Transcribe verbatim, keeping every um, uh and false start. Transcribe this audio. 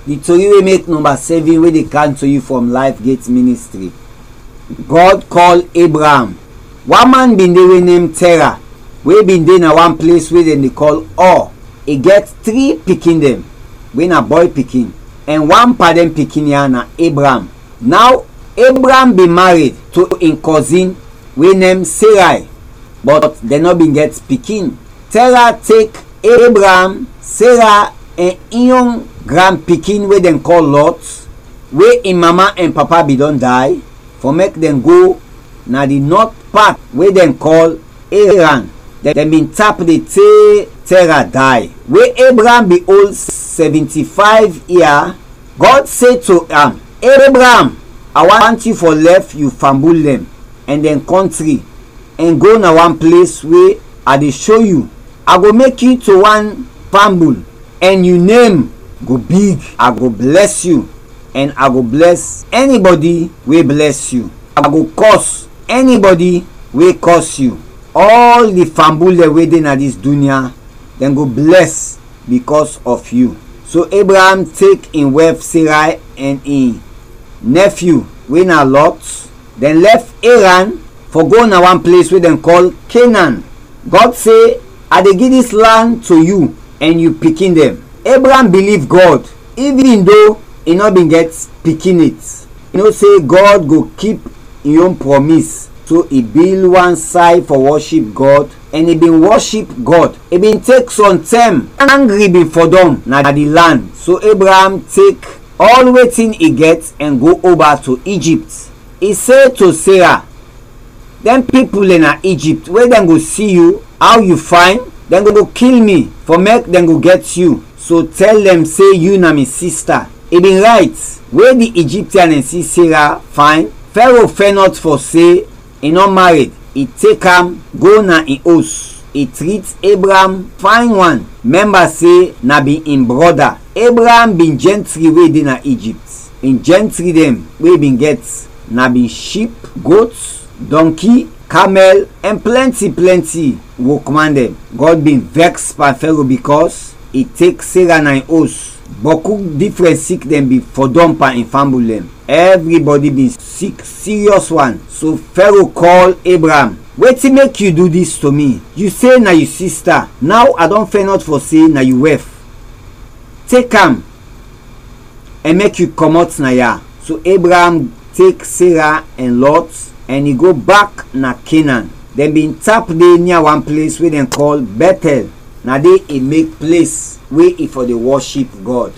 Di tori we mek nɔmba sɛvin we dey kam to yu from Life Gate Ministry. God kɔl Abraham. Wan man bin de we nem Tera, we bin de na wan ples we dɛn de kɔl Ur. I gɛt tri pikin dɛn, we na bɔy pikin, ɛn wan pan dɛn pikin ya na Abraham. Naw, Abraham bin mared to in kɔzin we nem Seray, bɔt dɛn nɔ bin gɛt pikin. Tera tek Abraham, Sera, ɛn in yon granpikin we dɛn kɔl Lɔt, we in mama ɛn papa bin dɔn day, fɔ mek dɛn go na di nɔt pat we dɛn kɔl Eran. Dɛn bin tap de te Tera day. We Abraham bin ol sɛvinti-fayv yia, Gɔd se to am, Abraham, a want yu fɔ lɛf yu fambul dɛn ɛn dɛn kɔntri, ɛn go na wan ples we a de sho yu. A go mek yu to wan fambul, ɛn yu nem go big. A go blɛs yu, ɛn a go blɛs ɛnibɔdi we blɛs yu. A go kɔs ɛnibɔdi we kɔs yu. Ɔl di fambul dɛn we de na dis dunya, dɛn go blɛs bikɔs ɔf yu. So Abraham tek in wɛf Seray ɛn in nɛfyu, we na Lɔt, dɛn lɛf Eran fɔ go na wan ples we dɛn kɔl Kenan. Gɔd se, a de gi dis lan to yu ɛn yu pikin dɛn. Abraham biliv Gɔd, ivin do i nɔ bin gɛt pikin yet. I no se Gɔd go kip in yon prɔmis, so i bil wan say fɔ wɔship Gɔd, ɛn i bin wɔship Gɔd. I bin tek sɔntɛm, angri bin fɔdɔm na di lan, so Abraham tek ɔl wetin i gɛt ɛn go oba to Ijipt. I se to Sera, dɛn pipul dɛn na Ijipt, we dɛn go si yu, aw yu fayn, dɛn go kil mi, fɔ mek dɛn go gɛt yu. So tɛl dɛn se yu na mi sista. I bin rayt, we di Ijiptian dɛn si Sera fayn, Fɛro fɛnɔt fɔ se i nɔ mared, i tek am go na in os. I trit Abraham fayn wan, mɛmba se na bin in brɔda. Abraham bin jɛntri we de na Ijipt. In jɛntri dɛn we i bin gɛt na bin ship, got, dɔnki, kamɛl, ɛn plɛnti plɛnti wokman dɛn. Gɔd bin vɛks pan Fɛro bikɔs i tek Sera na in os. Bɔku difrɛn sik dɛn bin fɔdɔm pan in fambul dɛn. Ɛvribɔdi bin sik siryɔs wan. So Fɛro kɔl Abraham, wetin mek yu du dis to mi? Yu se na yu sista, naw a dɔn fɛnɔt fɔ se na yu wɛf. Tek am ɛn mek yu kɔmɔt na ya. So Abraham tek Sera ɛn Lɔt ɛn i go bak na Kenan. Dɛn bin tap de nia wan ples we dɛn kɔl Bɛtɛl, na de i mek ples we i fɔ de wɔship Gɔd.